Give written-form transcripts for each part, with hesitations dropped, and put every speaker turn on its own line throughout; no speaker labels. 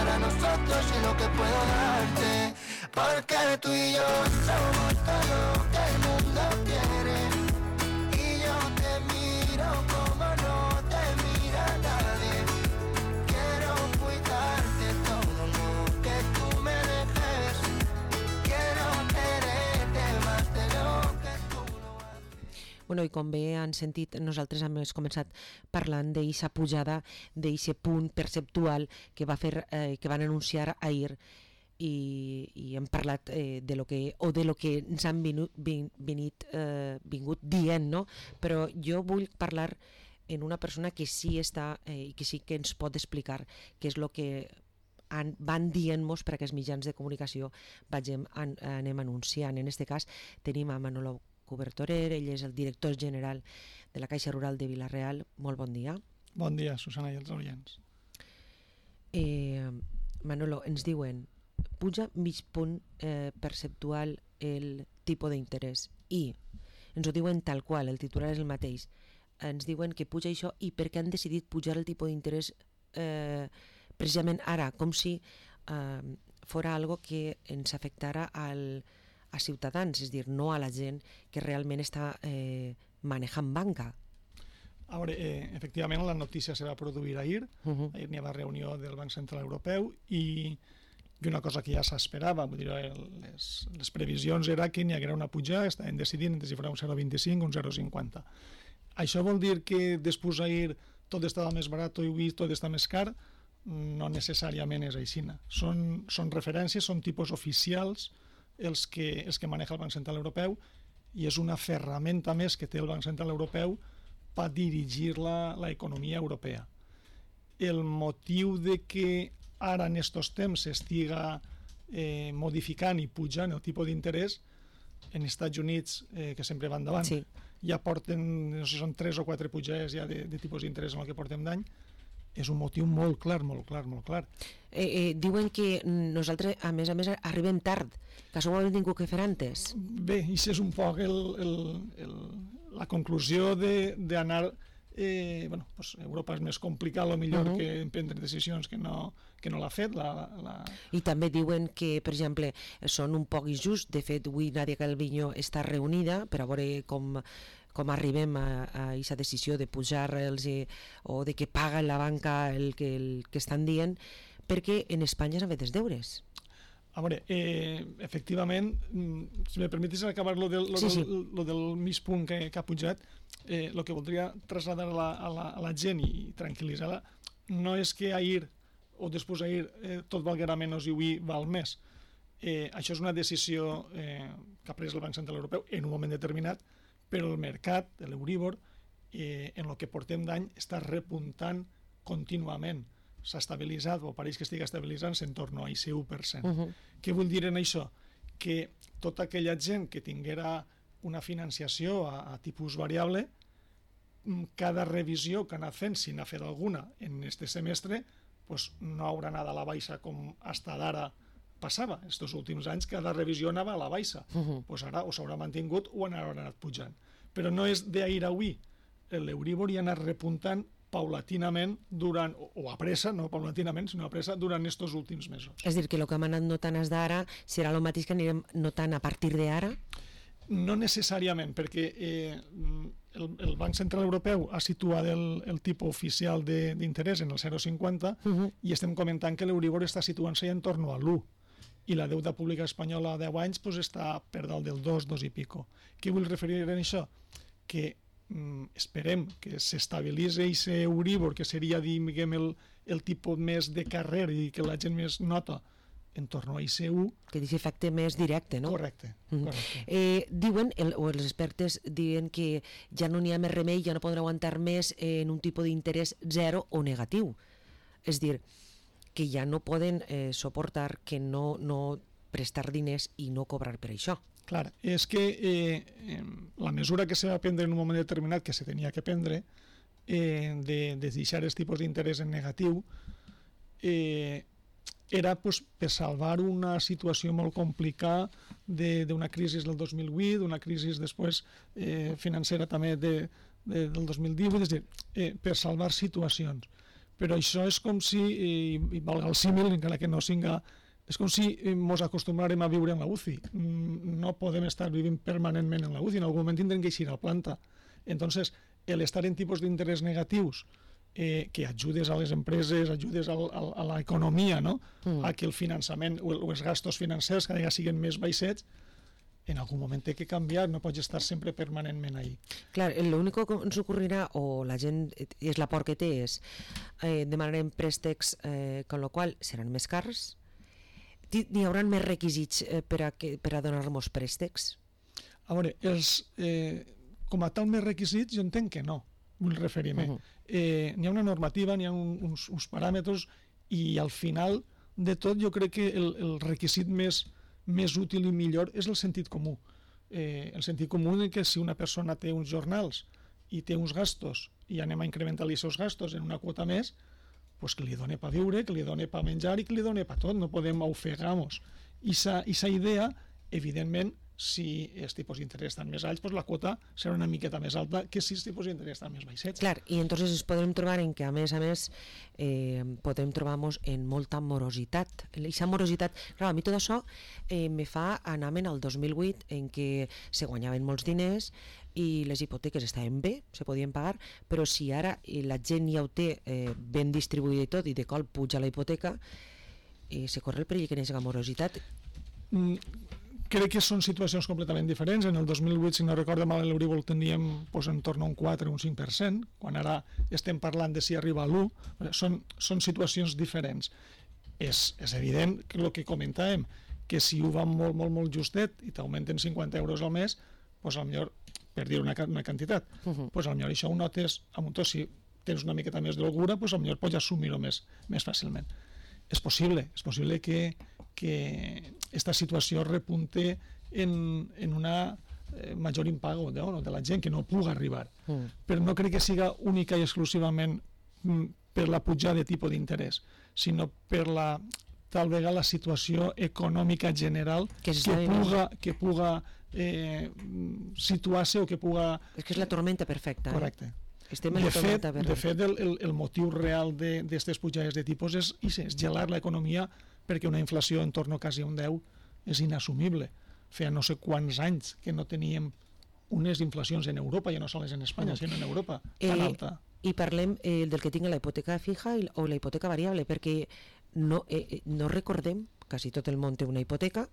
para nosotros y lo que puedo darte. Porque tú y yo somos todo lo que el mundo quiere. Y yo te miro como no te mira nadie. Quiero cuidarte todo lo que tú me dejes. Quiero quererte más de lo que tú no haces.
Bueno, i com bé han sentit, nosaltres hem començat parlant d'eixa pujada, d'eixe punt perceptual que van anunciar ahir, i hem parlat de lo que ens han vingut dient, no? Però jo vull parlar en una persona que sí està i que sí que ens pot explicar què és el que van dient-nos per aquests mitjans de comunicació anem anunciant. En aquest cas tenim a Manolo Cobertorer, ell és el director general de la Caixa Rural de Vila-real. Molt bon dia.
Bon dia, Susana i els oients.
Manolo, ens diuen puja mig punt perceptual el tipus d'interès, i ens ho diuen tal qual, el titular és el mateix. Ens diuen que puja això i per què han decidit pujar el tipus d'interès precisament ara, com si fora algo que ens afectara a ciutadans, és a dir, no a la gent que realment està manejant banca.
A veure, efectivament la notícia se va produir ahir, ahir n'hi va reunió del Banc Central Europeu i una cosa que ja s'esperava, vull dir, les previsions era que n'hi haguera una pujada, estaven decidint si farà un 0,25 o un 0,50. Això vol dir que després ahir tot estava més barat i avui tot està més car? No necessàriament és així. Són referències, són tipus oficials els que maneja el Banc Central Europeu, i és una ferramenta més que té el Banc Central Europeu per dirigir l'economia europea. El motiu de que ara en estos temps s'estiga modificant i pujant el tipus d'interès en Estats Units, que sempre van davant,
sí.
Ja porten, no sé, són 3 o 4 pujades ja de tipus d'interès en el que portem d'any. És un motiu molt clar.
Diuen que nosaltres, a més, arribem tard, que això ho hem tingut que fer antes.
Bé, i és un poc la conclusió d'anar... Europa és més complicat, millor que prendre decisions que no l'ha fet.
I també diuen que, per exemple, són un poc injust. De fet, avui Nadia Calviño està reunida per a veure com arribem a aquesta decisió de pujar-los o de que paga la banca el que estan dient, perquè en Espanya s'han fet els deures.
A veure, efectivament, si me permetis acabar lo del mig punt que ha pujat, el que voldria traslladar a la gent i tranquil·litzar-la no és que ahir o després d'ahir tot valguera menys i avui val més. Això és una decisió que ha pres el Banc Central Europeu en un moment determinat, però el mercat, l'Euríbor, en el que portem d'any està repuntant contínuament. S'ha estabilitzat, o pareix que estigui estabilitzant-se en torno a aquest 1%. Què vull dir en això? Que tota aquella gent que tinguera una financiació a tipus variable, cada revisió que ha anat fent, si n'ha fet alguna en aquest semestre, no haurà anat a la baixa com fins d'ara passava. Estos últims anys cada revisió anava a la baixa. Ara o s'haurà mantingut o haurà anat pujant. Però no és d'ahir a avui. L'Euríbor hi ha anat repuntant paulatinament o a pressa, no paulatinament, sinó a pressa durant estos últims mesos.
És a dir, que el que hem anat notant des d'ara serà el mateix que anirem notant a partir d'ara?
No necessàriament, perquè el Banc Central Europeu ha situat el tipus oficial d'interès en el 0,50 i estem comentant que l'Euríbor està situant-se en torno a l'1 i la deuda pública espanyola a 10 anys està per dalt del 2 i pico. Què vull referir en això? Que esperem que s'estabilitzi aquest Euríbor, que seria, diguem, el tipus més de carrer i que la gent més nota en torno a IC1.
Que és efecte més directe, no?
Correcte.
Diuen, o els expertes diuen que ja no n'hi ha més remei, ja no poden aguantar més en un tipus d'interès zero o negatiu. És dir, que ja no poden suportar que no prestar diners i no cobrar per això.
Clar, és que la mesura que se va prendre en un moment determinat, que se tenia que prendre, de deixar els tipus d'interès en negatiu, era per salvar una situació molt complicada d'una crisi del 2008, d'una crisi després financera també del 2018, és a dir, per salvar situacions. però això és com si, i valga el símil, encara que no siga, és com si ens acostumbrarem a viure en la UCI. No podem estar vivint permanentment en la UCI, en algun moment tindrem que eixir a planta. Entonces, el estar en tipus d'interès negatius, que ajudes a les empreses, ajudes a l'economia, no? A que el finançament o els gastos financers cada vegada siguin més baixets, en algun moment té que canviar, no pots estar sempre permanentment ahí.
Clar, lo único que ens ocorrirà, o la gent, és la por que té, és demanarem préstecs, con lo qual seran més cars, n'hi haurà més requisits per a donar-nos préstecs?
A veure, com a tal més requisits, jo entenc que no, vull referir-me. N'hi ha una normativa, n'hi ha uns paràmetres, i al final de tot jo crec que el requisit més útil i millor és el sentit comú. El sentit comú és que si una persona té uns jornals i té uns gastos i anem a incrementar-li aquests gastos en una quota més, pues que li doni per viure, que li doni per menjar i que li doni per tot, no podem ofegar-nos. I aquesta idea, evidentment, si els tipus d'interès estan més alts, pues la quota serà una miqueta més alta que si els tipus d'interès estan més baixets.
Clar, i entonces ens podem trobar en que a més podem trobar-nos en molta morositat. Aquesta morositat, clar, a mi tot això me fa anar-me'n al 2008 en què se guanyaven molts diners i les hipoteques estaven bé, se podien pagar, però si ara la gent ja ho té ben distribuïda i tot, i de cop puja la hipoteca, se corre el perill que n'hi morositat.
Crec que són situacions completament diferents. En el 2008, si no recordo mal, l'Euribor teníem en torn a un 4 o un 5%, quan ara estem parlant de si arriba a l'1, són situacions diferents. És evident que el que comentàvem, que si ho va molt justet i t'augmenten 50 euros al mes, doncs potser, per dir una quantitat, doncs potser això ho notes amb un to, si tens una miqueta més d'holgura, doncs potser pots assumir-ho més fàcilment. És possible que aquesta situació repunte en una major impago de la gent, que no pugui arribar. Però no crec que siga única i exclusivament per la pujada de tipus d'interès, sinó per tal vegada la situació econòmica general que puga situar-se o que puga...
És que és la tormenta perfecta.
Correcte. De fet, el motiu real d'aquestes pujades de tipus és gelar l'economia, perquè una inflació en torn a quasi un 10 és inassumible. Feia no sé quants anys que no teníem unes inflacions en Europa, ja no sols en Espanya, sinó en Europa, tan alta.
I parlem del que tinga la hipoteca fija o la hipoteca variable, perquè no recordem, quasi tot el món té una hipoteca.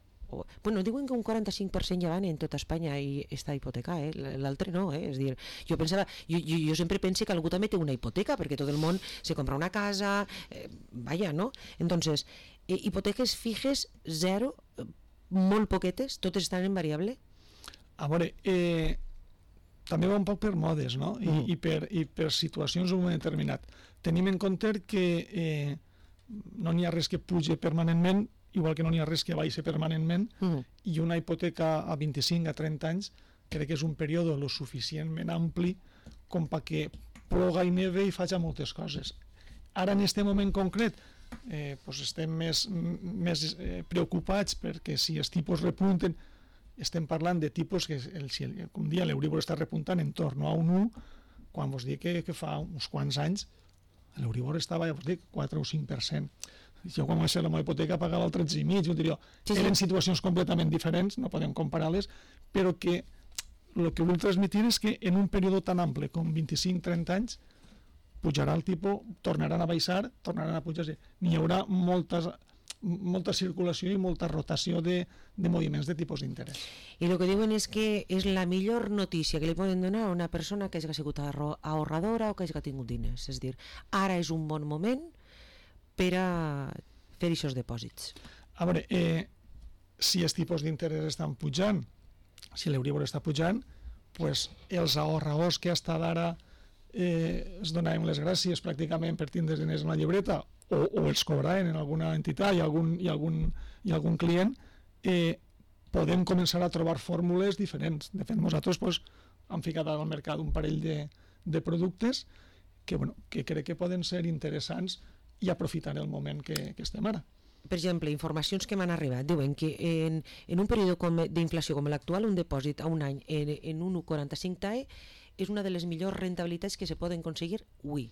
Bueno, diuen que un 45% ja van en tota Espanya i està hipoteca, l'altre no, és dir, jo pensava, jo sempre penso que algú també té una hipoteca, perquè tot el món se compra una casa, vaja, no? Entonces, hipoteques fijes, 0, molt poquetes, totes estan en variable?
A veure, també va un poc per modes, no? I per situacions en un moment determinat. Tenim en compte que no n'hi ha res que pugi permanentment, igual que no n'hi ha res que baixi permanentment, i una hipoteca a 25 a 30 anys crec que és un període lo suficientment ampli com perquè ploga i neve i faci moltes coses. Ara, en aquest moment concret, estem més preocupats perquè si els tipus repunten, estem parlant de tipus que, com dia l'Euribor està repuntant en torn a un 1, quan vos dic que fa uns quants anys l'Euribor estava, ja vos dic, 4 o 5%. Jo quan vaig fer la meva hipoteca pagava el 13,5, eren situacions completament diferents, no podem comparar-les, però que el que vull transmitir és que en un període tan ample com 25-30 anys pujarà el tipus, tornaran a baixar, tornaran a pujar, n'hi haurà molta circulació i molta rotació de moviments de tipus d'interès.
I el que diuen és que és la millor notícia que li poden donar a una persona que hagi sigut ahorradora o que hagi tingut diners, és a dir, ara és un bon moment per a fer aquests dipòsits.
A veure, si els tipus d'interès estan pujant, si l'Euribor està pujant, doncs els ahorradors que hasta d'ara es donaven les gràcies pràcticament per tindre diners en la llibreta o els cobraven en alguna entitat i algun client, podem començar a trobar fórmules diferents. De fet, nosaltres hem ficat al mercat un parell de productes que crec que poden ser interessants i aprofitar el moment que estem ara.
Per exemple, informacions que m'han arribat diuen que en un període d'inflació com l'actual, un dipòsit a un any en un 1,45 TAE és una de les millors rentabilitats que se poden aconseguir avui.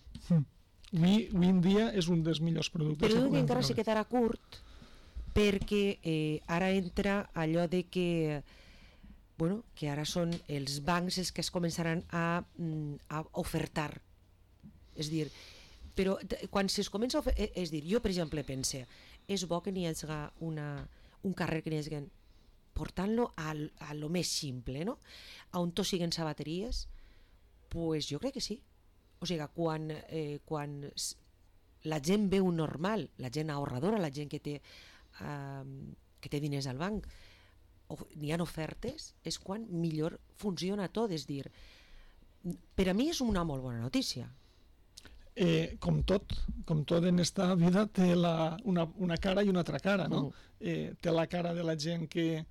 Avui en dia és un dels millors productes.
Però diu que encara se quedarà curt perquè ara entra allò de que que ara són els bancs els que es començaran a ofertar. És dir, però quan es comença a ofertar, és dir, jo per exemple pense, és bo que n'hi hagi un carrer que n'hi hagi portant-lo a lo més simple, no? A on tots siguen sabateries, pues jo crec que sí. O sigui, quan la gent veu normal, la gent ahorradora, la gent que té diners al banc, n'hi ha ofertes, és quan millor funciona tot. És dir, per a mi és una molt bona notícia.
Com tot en esta vida té una cara i una altra cara, no? Té la cara de la gent que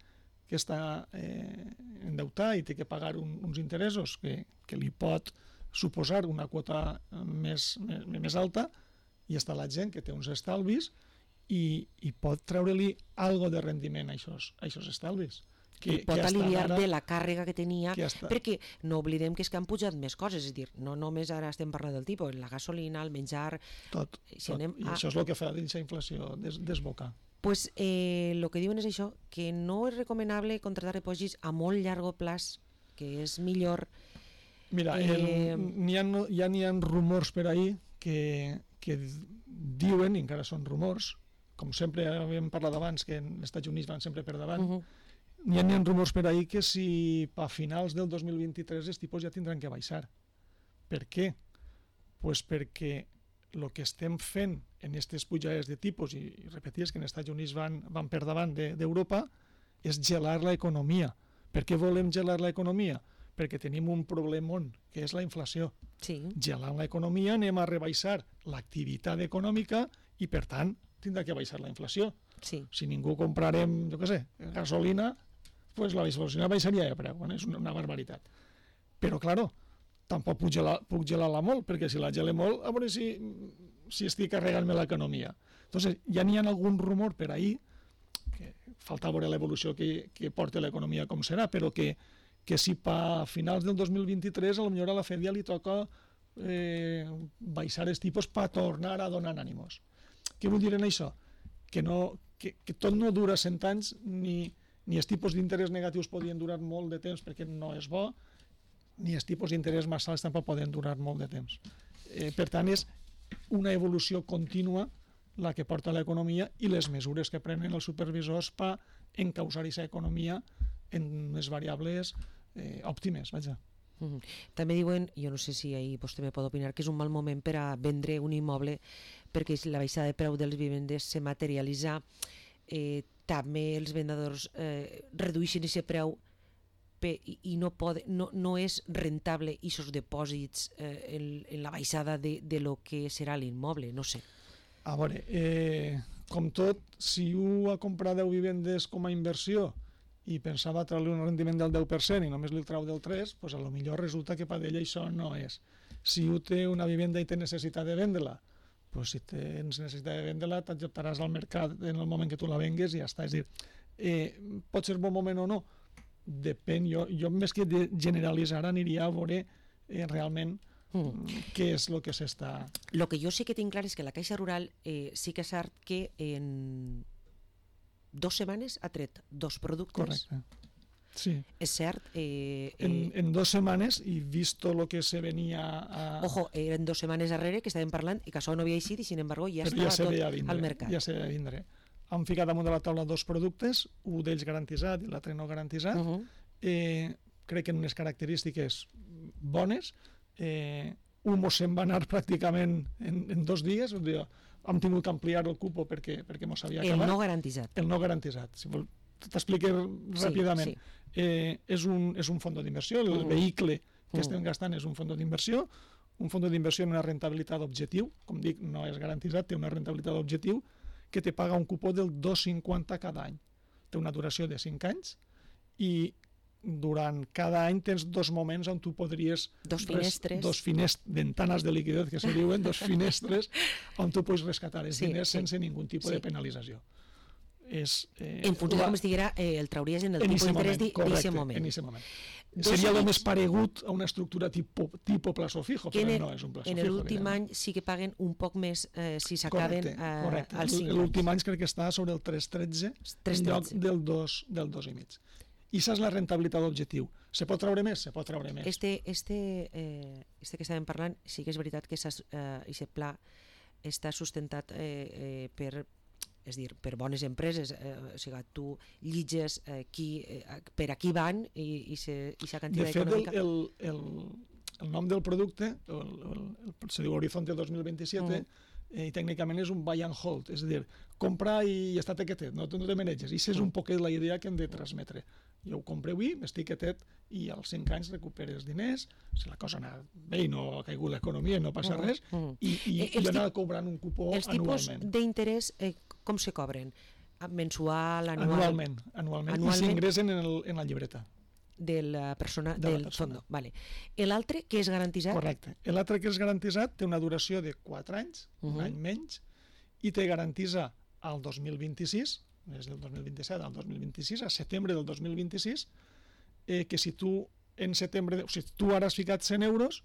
està endeutada i té que pagar uns interessos que li pot suposar una quota més alta, i està la gent que té uns estalvis i pot treure-li algo de rendiment a aquests estalvis.
I pot aliviar de la càrrega que tenia, perquè no oblidem que és que han pujat més coses, és a dir, no només ara estem parlant del tipus, la gasolina, el menjar...
Tot. I això és el que fa d'aquesta inflació desbocar.
Pues el que diuen és això, que no és recomanable contractar dipòsits a molt llarg plaç, que és millor...
Mira, ja n'hi ha rumors per ahir que diuen, i encara són rumors, com sempre havíem parlat abans, que els Estats Units van sempre per davant, n'hi ha rumors per ahir que si a finals del 2023 els tipus ja tindran que baixar. Per què? Pues perquè el que estem fent en aquestes pujades de tipus, i repeties que els Estats Units van per davant d'Europa, és gelar l'economia. Per què volem gelar l'economia? Perquè tenim un problemón, que és la inflació.
Sí.
Gelant l'economia anem a rebaixar l'activitat econòmica i, per tant, tindrà que baixar la inflació.
Sí.
Si ningú comprarem, jo què sé, gasolina, pues la gasolina baixaria de preu, és una barbaritat. Però, claro, tampoc puc gelar-la molt, perquè si la gele molt, a veure si estic carregant-me l'economia. Entonces, ja n'hi ha algun rumor per ahir, que falta veure l'evolució que porta l'economia com serà, però que si a finals del 2023 potser a la Fed ja li toca baixar els tipus per tornar a donar ànimos. Què vull dir en això? Que tot no dura 100 anys, ni els tipus d'interès negatius podien durar molt de temps perquè no és bo, ni els tipus d'interès més alts tampoc poden durar molt de temps. Per tant, és una evolució contínua la que porta l'economia i les mesures que prenen els supervisors per encausar aquesta economia en les variables òptimes, vaja.
També diuen, jo no sé si ahir vostè me pot opinar, que és un mal moment per a vendre un immoble perquè la baixada de preu dels vivendes se materialitza, també els vendedors redueixen aquest preu i no és rentable aquests dipòsits en la baixada de lo que serà l'immoble, no sé.
A veure, com tot, si un ha comprat 10 vivendes com a inversió i pensava treure un rendiment del 10% i només li trau del 3%, doncs potser resulta que per ell això no és. Si un té una vivenda i té necessitat de vendre-la, doncs si tens necessitat de vendre-la, t'adaptaràs al mercat en el moment que tu la vengues i ja està. És a dir, pot ser bon moment o no? Depèn. Jo més que de generalitzar aniria a veure realment què és el que s'està...
El que jo sí que tinc clar és que la Caixa Rural sí que és cert que en 2 setmanes ha tret 2 productes.
Correcte. Sí.
És cert.
En 2 setmanes, i vist el que se venia a...
Ojo, eren 2 setmanes darrere que estàvem parlant i que això no havia eixit i, sin embargo, ja estava tot al mercat.
Ja se veia vindre. Han ficat damunt de la taula 2 productes, un d'ells garantitzat i l'altre no garantitzat. Crec que en unes característiques bones. Un se'n va anar pràcticament en 2 dies, hem tingut que ampliar el cupo perquè mos havia acabat.
El no garantitzat.
El no garantitzat. Si t'expliqué ràpidament. És un fons d'inversió, el vehicle que estem gastant és un fons d'inversió, en una rentabilitat objectiu, com dic, no és garantitzat, té una rentabilitat objectiu, que te paga un cupó del 2,50 cada any. Té una duració de 5 anys i durant cada any tens 2 moments on tu podries...
2 finestres.
2 ventanes de liquiditat, que se diuen, 2 finestres, on tu pots rescatar els diners sense ningú tipus de penalització. és...
En funció de com estiguera, el trauries en el tipus d'interès d'aquest moment.
En aquest moment. Seria el més paregut a una estructura tipo plazo fijo, però no és un plazo fijo.
En l'últim any sí que paguen un poc més si s'acaben als 5 anys.
L'últim any crec que està sobre el 3,13 en lloc del 2,5. I això és la rentabilitat d'objectiu. Se pot treure més? Se pot treure més.
Este que estàvem parlant, sí que és veritat que aquest pla està sustentat per bones empreses, o sigui, tu llitges per a qui van i aquesta quantitat econòmica.
De fet, el nom del producte, se diu Horizonte 2027, i tècnicament és un buy and hold, és a dir, compra i està quietet, no te maneges. I això és un poquet la idea que hem de transmetre. Jo ho compro avui, m'estic quietet i als 5 anys recuperes diners, si la cosa ha anat bé i no ha caigut l'economia i no passa res, i anar cobrant un cupó anualment.
Els tipus d'interès com se cobren? Mensual, anual?
Anualment. I s'ingressen en la llibreta.
De la persona del fondo. Vale. L'altre, que és garantitzat?
Correcte. L'altre, que és garantitzat, té una duració de 4 anys, un any menys, i te garantitza al 2026, des del 2027 al 2026, a setembre del 2026, que si tu en setembre, o sigui, tu ara has ficat 100 euros,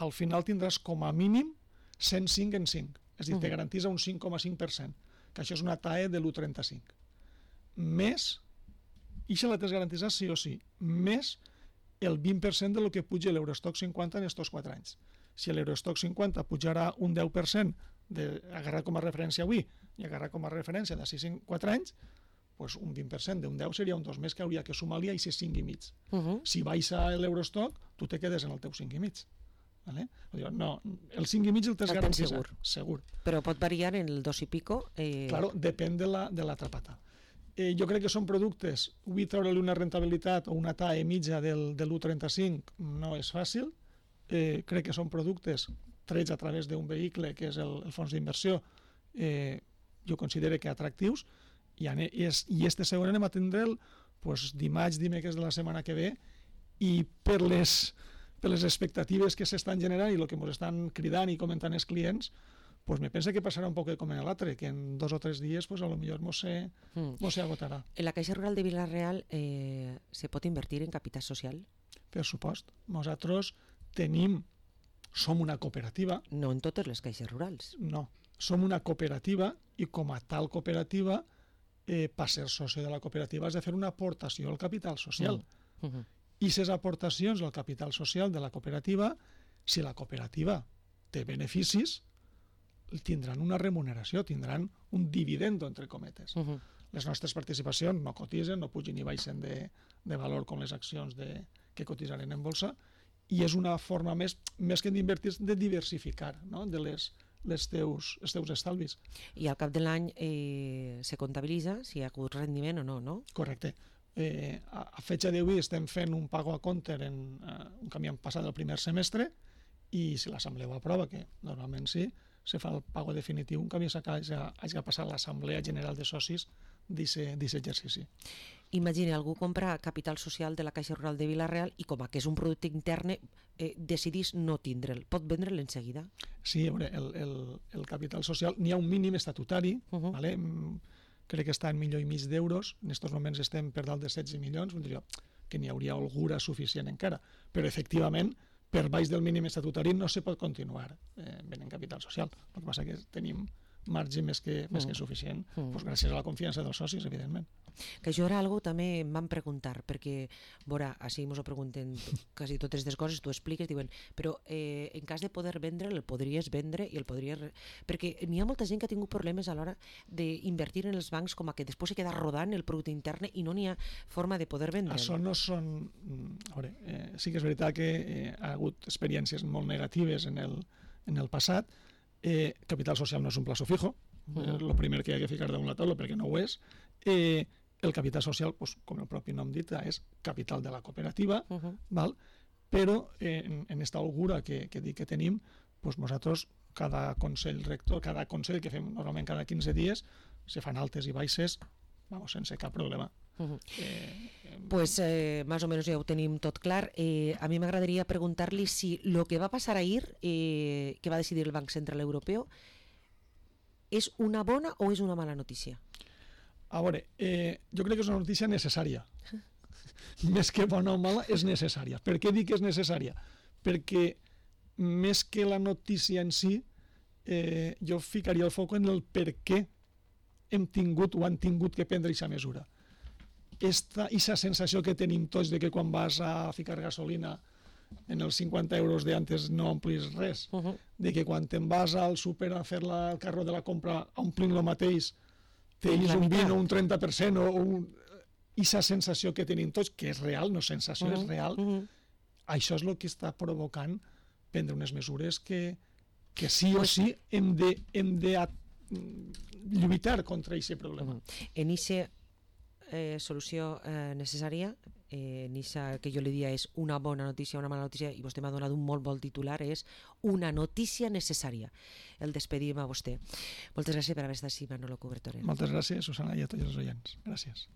al final tindràs com a mínim 105 en 5. És a dir, te garantitza un 5,5%, que això és una TAE de l'1,35. Més, i això la tens garantitzat sí o sí, més el 20% del que puja l'Eurostock 50 en estos 4 anys. Si l'Eurostock 50 pujarà un 10%, agarrar com a referència avui i agarrar com a referència d'ací 4 anys, doncs un 20% d'un 10 seria un 2 més que hauria que sumar-li a aquest 5,5. Si baixa l'Eurostock, tu te quedes en el teu 5,5. Vale? No, el 5,5 el tens garantitzat. Segur.
Però pot variar en el 2 i pico?
Claro, depèn de l'altra pata. Jo crec que són productes, avui treure-li una rentabilitat o una TAE mitja del 1,35 no és fàcil. Crec que són productes trets a través d'un vehicle que és el fons d'inversió, jo considero que atractius, i este segon anem a tindre'l dimarts, dimecres de la setmana que ve, i per les expectatives que s'estan generant i el que ens estan cridant i comentant els clients, me pensa que passarà un poc com en l'altre, que en 2 o 3 dies a lo millor mos se agotarà.
En la Caixa Rural de Vila-real se pot invertir en capital social?
Per supost. Nosaltres som una cooperativa.
No en totes les caixes rurals.
No, som una cooperativa i com a tal cooperativa, per ser soci de la cooperativa has de fer una aportació al capital social. I aquestes aportacions al capital social de la cooperativa, si la cooperativa té beneficis, tindran una remuneració, tindran un dividendo, entre cometes. Les nostres participacions no cotitzen, no pugen ni baixen de valor com les accions que cotitzaren en bolsa, i és una forma més que d'invertir, de diversificar, no? De els teus estalvis.
I al cap de l'any se comptabilitza si hi ha hagut rendiment o no, no?
Correcte. A fetge d'avui estem fent un pago a compte en un que havíem passat el primer semestre, i si l'assemblea ho aprova, que normalment sí, se fa el pago definitiu un canvi hagi passat l'assemblea general de socis d'aquest exercici.
Imagina, algú compra capital social de la Caixa Rural de Vila-real i com que és un producte intern decidís no tindre'l. Pot vendre'l en seguida? Sí,
el capital social, n'hi ha un mínim estatutari, crec que està en $1,5 milions, en aquests moments estem per dalt de 16 milions, que n'hi hauria holgura suficient encara, però efectivament per baix del mínim estatutari no se pot continuar venent capital social. El que passa és que tenim marge més que suficient, gràcies a la confiança dels socis, evidentment.
Que això era algo també em van preguntar, perquè, veure, així ens ho pregunten quasi totes aquestes coses, tu expliques, diuen, però en cas de poder vendre, el podries vendre i el podries... Perquè n'hi ha molta gent que ha tingut problemes a l'hora d'invertir en els bancs, com que després se queda rodant el producte intern i no n'hi ha forma de poder vendre.
Això no són... A veure, sí que és veritat que ha hagut experiències molt negatives en el passat. Capital social no és un plazo fijo, el primer que hi ha que ficar damunt la taula perquè no ho és. El capital social, com el propi nom dit, és capital de la cooperativa, però en aquesta holgura que dic que tenim, nosaltres, cada consell rector, cada consell que fem normalment cada 15 dies, se fan altes i baixes sense cap problema.
Pues más o menos ja ho tenim tot clar. A mi m'agradaria preguntar-li si el que va passar ahir, que va decidir el Banc Central Europeu, és una bona o és una mala notícia?
A veure, jo crec que és una notícia necessària. Més que bona o mala, és necessària. Per què dic que és necessària? Perquè més que la notícia en si, jo ficaria el foc en el per què hem tingut o han tingut que prendre aquesta mesura. Aquesta sensació que tenim tots de que quan vas a ficar gasolina en els 50 euros d'antes no omplis res, de que quan te'n vas al súper a fer el carro de la compra omplint el mateix, tens un 20 o un 30% o aquesta sensació que tenim tots, que és real, no sensació, és real, això és el que està provocant prendre unes mesures que sí o sí hem de lluitar contra aquest problema.
En aquesta solució necessària, en aquesta que jo li dia és una bona notícia, una mala notícia, i vostè m'ha donat un molt bon titular, és una notícia necessària. El despedim a vostè. Moltes gràcies per haver estat així, Manolo Cubertore.
Moltes gràcies, Susana, i a tots els oients. Gràcies.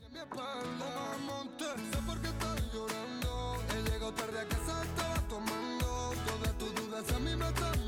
Mi espalda monte, sé por qué estoy llorando. He llegado tarde a casa, estaba tomando. Todas tus dudas a mí me están